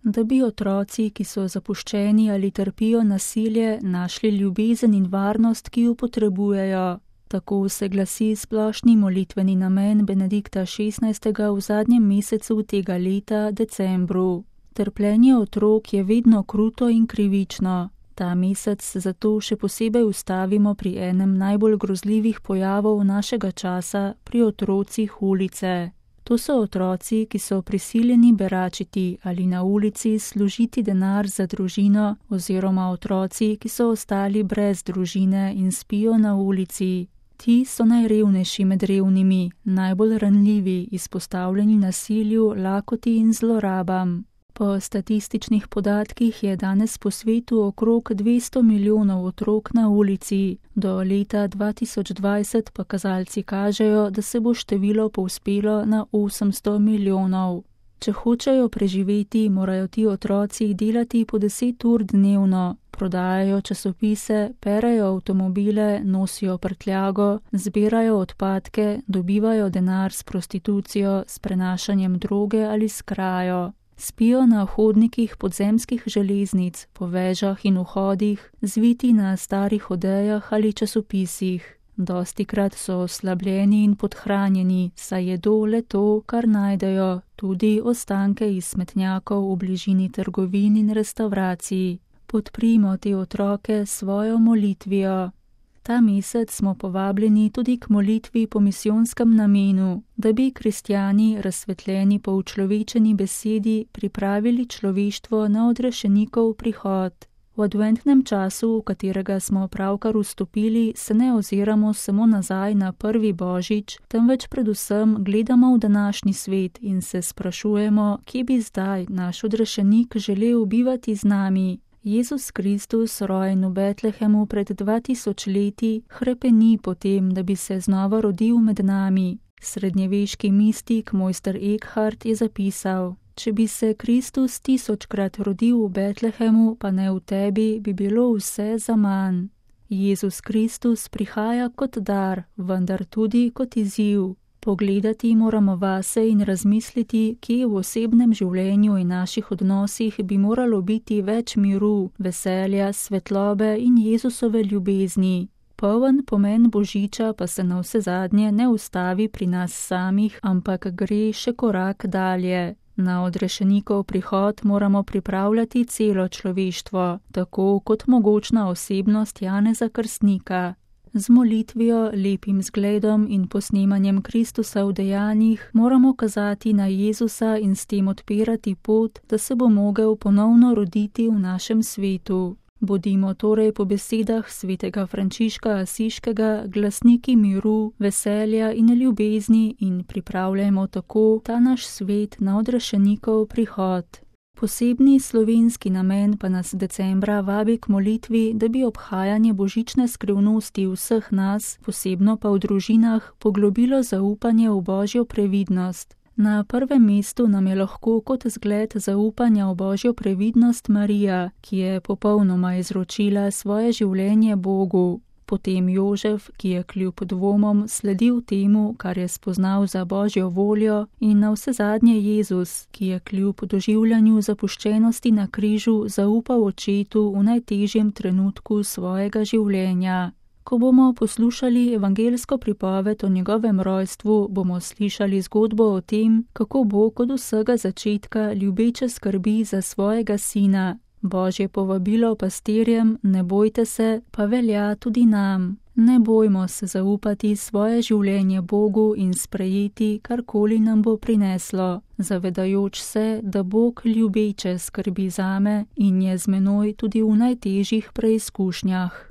da bi otroci, ki so zapuščeni ali trpijo nasilje, našli ljubezen in varnost, ki jo potrebujejo. Tako se glasi splošni molitveni namen Benedikta XVI. V zadnjem mesecu tega leta, decembru. Trpljenje otrok je vedno kruto in krivično. Ta mesec zato še posebej ustavimo pri enem najbolj grozljivih pojavov našega časa, pri otrocih ulice. To so otroci, ki so prisiljeni beračiti ali na ulici služiti denar za družino, oziroma otroci, ki so ostali brez družine in spijo na ulici. Ti so najrevnejši med revnimi, najbolj ranljivi, izpostavljeni nasilju, lakoti in zlorabam. Po statističnih podatkih je danes po svetu okrog 200 milijonov otrok na ulici. Do leta 2020 pa kazalci kažejo, da se bo število povzpelo na 800 milijonov. Če hočejo preživeti, morajo ti otroci delati po 10 ur dnevno, prodajajo časopise, perejo avtomobile, nosijo prtljago, zbirajo odpadke, dobivajo denar s prostitucijo, s prenašanjem droge ali s krajo. Spijo na hodnikih podzemskih železnic, po vežah in vhodih, zviti na starih odejah ali časopisih. Dostikrat so oslabljeni in podhranjeni, saj jedo le to, kar najdejo, tudi ostanke iz smetnjakov v bližini trgovin in restavracij. Podprimo te otroke s svojo molitvijo. Ta mesec smo povabljeni tudi k molitvi po misijonskem namenu, da bi kristjani, razsvetljeni po učlovečeni besedi, pripravili človeštvo na odrešenikov prihod. V adventnem času, v katerega smo pravkar vstopili, se ne oziramo samo nazaj na prvi božič, temveč predvsem gledamo v današnji svet in se sprašujemo, kje bi zdaj naš odrešenik želel bivati z nami. Jezus Kristus, rojen v Betlehemu pred 2000 leti, hrepeni po tem, da bi se znova rodil med nami. Srednjeveški mistik mojster Eckhart je zapisal: če bi se Kristus 1000-krat rodil v Betlehemu, pa ne v tebi, bi bilo vse zaman. Jezus Kristus prihaja kot dar, vendar tudi kot izziv. Pogledati moramo vase in razmisliti, kje v osebnem življenju in naših odnosih bi moralo biti več miru, veselja, svetlobe in Jezusove ljubezni. Poln pomen Božiča pa se navsezadnje ne ustavi pri nas samih, ampak gre še korak dalje. Na odrešenikov prihod moramo pripravljati celo človeštvo, tako kot mogočna osebnost Janeza Krstnika. Z molitvijo, lepim zgledom in posnemanjem Kristusa v dejanjih moramo kazati na Jezusa in s tem odpirati pot, da se bo mogel ponovno roditi v našem svetu. Bodimo torej po besedah svetega Frančiška Asiškega glasniki miru, veselja in ljubezni in pripravljajmo tako ta naš svet na odrešenikov prihod. Posebni slovenski namen pa nas decembra vabi k molitvi, da bi obhajanje božične skrivnosti vseh nas, posebno pa v družinah, poglobilo zaupanje v Božjo previdnost. Na prvem mestu nam je lahko kot zgled zaupanja v Božjo previdnost Marija, ki je popolnoma izročila svoje življenje Bogu. Potem Jožef, ki je kljub dvomom sledil temu, kar je spoznal za Božjo voljo, in navsezadnje Jezus, ki je kljub doživljanju zapuščenosti na križu zaupal očetu v najtežjem trenutku svojega življenja. Ko bomo poslušali evangelsko pripoved o njegovem rojstvu, bomo slišali zgodbo o tem, kako Bog od vsega začetka ljubeče skrbi za svojega sina. Božje povabilo pastirjem, ne bojte se, pa velja tudi nam. Ne bojmo se zaupati svoje življenje Bogu in sprejeti, karkoli nam bo prineslo, zavedajoč se, da Bog ljubeče skrbi zame in je z menoj tudi v najtežjih preizkušnjah.